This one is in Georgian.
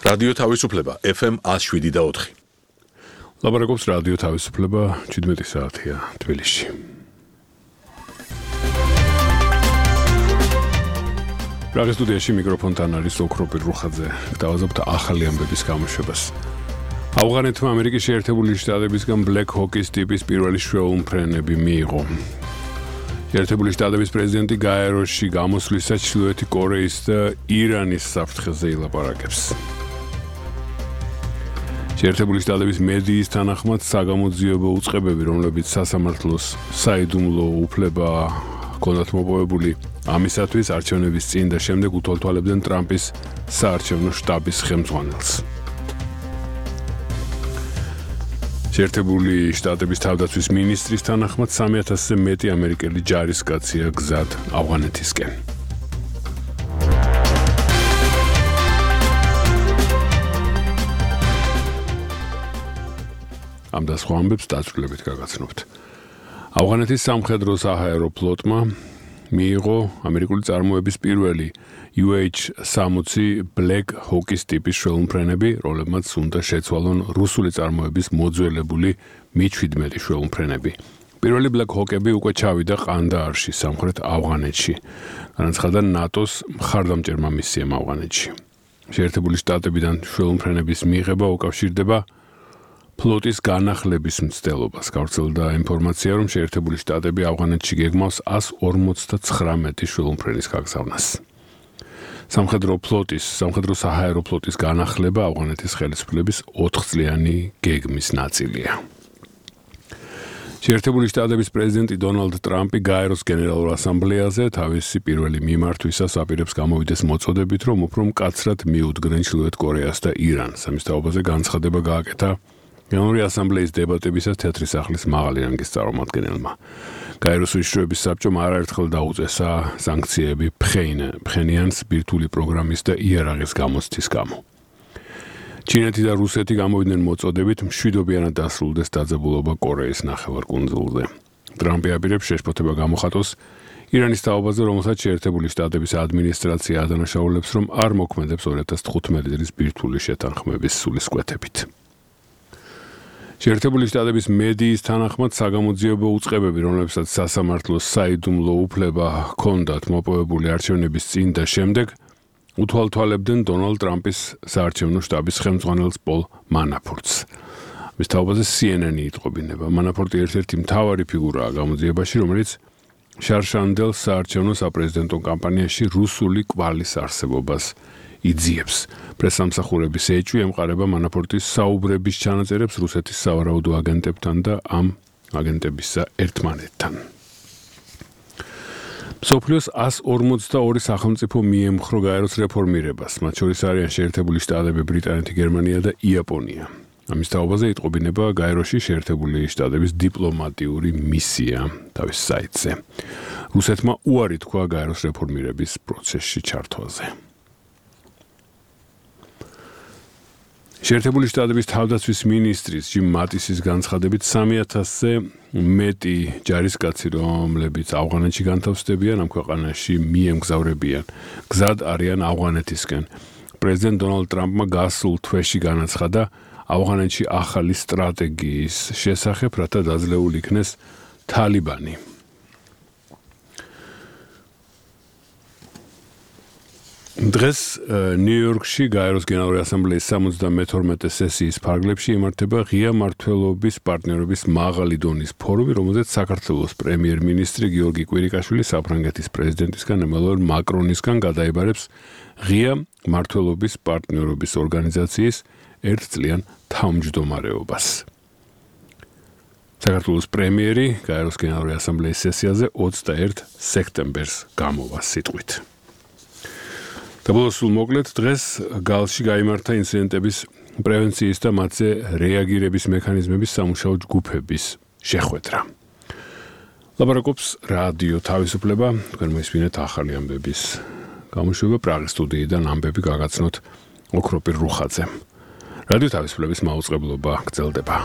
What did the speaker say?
რადიო თავისუფლება FM 107.4. ლაპარაკობს რადიო თავისუფლება 17 საათია თბილისში. პრაღის სტუდიაში მიკროფონთან არის ოქროპირ რუხაძე. დავაზობთ ახალი ამბების გამოშვებას. ავღანეთმა ამერიკის შეერთებული შტატებისგან ბლეკ ჰოკის ტიპის პირველი შვეულმფრენები მიიღო. შეერთებული შტატების პრეზიდენტი გაეროში გამოსვლისას ჩრდილოეთი კორეის და ირანის საფრთხეზე ილაპარაკებს. შეერთებული შტატების მედიის თანახმად საგამოძიებო უწყებები, რომლებიც სასამართლოს საიდუმლო უფლება ჰქონდათ მოპოვებული, ამისათვის არჩევნების წინ და შემდეგ უთვალთვალებდნენ ტრამპის საარჩევნო შტაბის ხელმძღვანელს. შეერთებული შტატების თავდაცვის მინისტრის თანახმად 3000-ზე მეტი ამერიკელი ჯარისკაცია გზად ავღანეთისკენ. ამ და სხვა ამბებს დაწვრილებით გაგაცნობთ. ავღანეთის სამხედრო საჰაერო ფლოტმა მიიღო ამერიკული წარმოების პირველი UH-60 ბლეკ ჰოკის ტიპის შვეულმფრენები, რომლებმაც უნდა შეცვალონ რუსული წარმოების მოძველებული Mi-17 შვეულმფრენები. პირველი ბლეკ ჰოკები უკვე ჩავიდა ყანდაარში, სამხრეთ ავღანეთში. განაცხადა ნატოს მხარდამჭერმა მისიამ ავღანეთში. შეერთებული შტატებიდან შვეულმფრენების მიღება უკავშირდება ფლოტის განახლების მცდელობას. გავრცელდა ინფორმაცია, რომ შეერთებული შტატები ავღანეთში გეგმავს 159 შვეულმფრენის გაგზავნას. სამხედრო საჰაერო ფლოტის განახლება ავღანეთის ხელისუფლების 4 წლიანი გეგმის ნაწილია. შეერთებული შტატების პრეზიდენტი დონალდ ტრამპი გაეროს გენერალურ ასამბლეაზე თავისი პირველი მიმართვისას აპირებს გამოვიდეს მოწოდებით, რომ უფრო მკაცრად მიუდგნენ ჩრდილოეთ კორეას და ირანს. ამის თაობაზე განცხადება გააკეთა გენერალური ასამბლეის დებატებისას თეთრი სახლის მაღალი რანგის წარმომადგენელმა. გაეროს უშიშროების საბჭომ არაერთხელ დაუწესა სანქციები ფხენიანს ბირთვული პროგრამის და იარაღის გამოცდის გამო. ჩინეთი და რუსეთი გამოვიდნენ მოწოდებით მშვიდობიანად დასრულდეს დაძაბულობა კორეის ნახევარკუნძულზე. ტრამპი აპირებს შეშფოთება გამოხატოს ირანის თაობაზე, რომელსაც შეერთებული შტატების ადმინისტრაცია ადანაშაულებს, რომ არ მოქმედებს 2015 წლის ბირთვული შეთანხმების სულისკვეთებით. შეერთებული შტატების მედიის თანახმად საგამოძიებო უწყებები, რომლებსაც სასამართლოს საიდუმლო უფლება ჰქონდათ მოპოვებული არჩევნების წინ და შემდეგ, უთვალთვალებდნენ დონალდ ტრამპის საარჩევნო შტაბის ხელმძღვანელს პოლ მანაფორტს. მის თაობაზე CNN-ი იტყობინება. მანაფორტი ერთ-ერთი მთავარი ფიგურაა გამოძიებაში, რომელიც შარშანდელ საარჩევნო საპრეზიდენტო კამპანიაში რუსული კვალის არსებობას იძიებს. პრესამსახურების ეჭვი ემყარება მანაფორტის საუბრების ჩანაწერებს რუსეთის სავარაუდო აგენტებთან და ამ აგენტებისა ერთმანეთთან. მსოფლიოს 142 სახელმწიფო მიემხრო გაეროს რეფორმირებას, მათ შორის არიან შეერთებული შტატები, ბრიტანეთი, გერმანია და იაპონია. ამის თაობაზე იტყობინება გაეროში შეერთებული შტატების დიპლომატიური მისია თავის საიტზე. რუსეთმა უარი თქვა გაეროს რეფორმირების პროცესში ჩართვაზე. შეერთებული შტატების თავდაცვის მინისტრის ჯიმ მატისის განცხადებით 3000-ზე მეტი ჯარისკაცი, რომლებიც ავღანეთში განთავსდებიან, ამ ქვეყანაში მიემგზავრებიან. გზად არიან ავღანეთისკენ. პრეზიდენტ დონალდ ტრამპმა გასულ თვეში განაცხადა ავღანეთში ახალი სტრატეგიის შესახებ, რათა დაძლეულ იქნეს თალიბანი. დღეს ნიუ-იორკში გაეროს გენერალური ასამბლეის 72 სესიის ფარგლებში იმართება ღია მმართველობის პარტნიორობის მაღალი დონის ფორუმი, რომელზეც საქართველოს პრემიერ-მინისტრი გიორგი კვირიკაშვილი საფრანგეთის პრეზიდენტისგან ემანუელ მაკრონისგან გადაიბარებს ღია მმართველობის პარტნიორობის ორგანიზაციის 1 წლიან თავმჯდომარეობას. საქართველოს პრემიერი გაეროს გენერალური ასამბლეის სესიაზე 21 სექტემბერს გამოვა სიტყვით. დაბოლოს მოკლედ დღეს გალში გაიმართა ინციდენტების პრევენციის და მათზე რეაგირების მექანიზმების სამუშაო ჯგუფების შეხვედრა. ლაპარაკობს რადიო თავისუფლება, თქვენ მოისმინეთ ახალი ამბების გამოშვება პრაღის სტუდიიდან ამბები გაგაცნოთ ოქროპირ რუხაძემ. რადიო თავისუფლების მაუწყებლობა გრძელდება.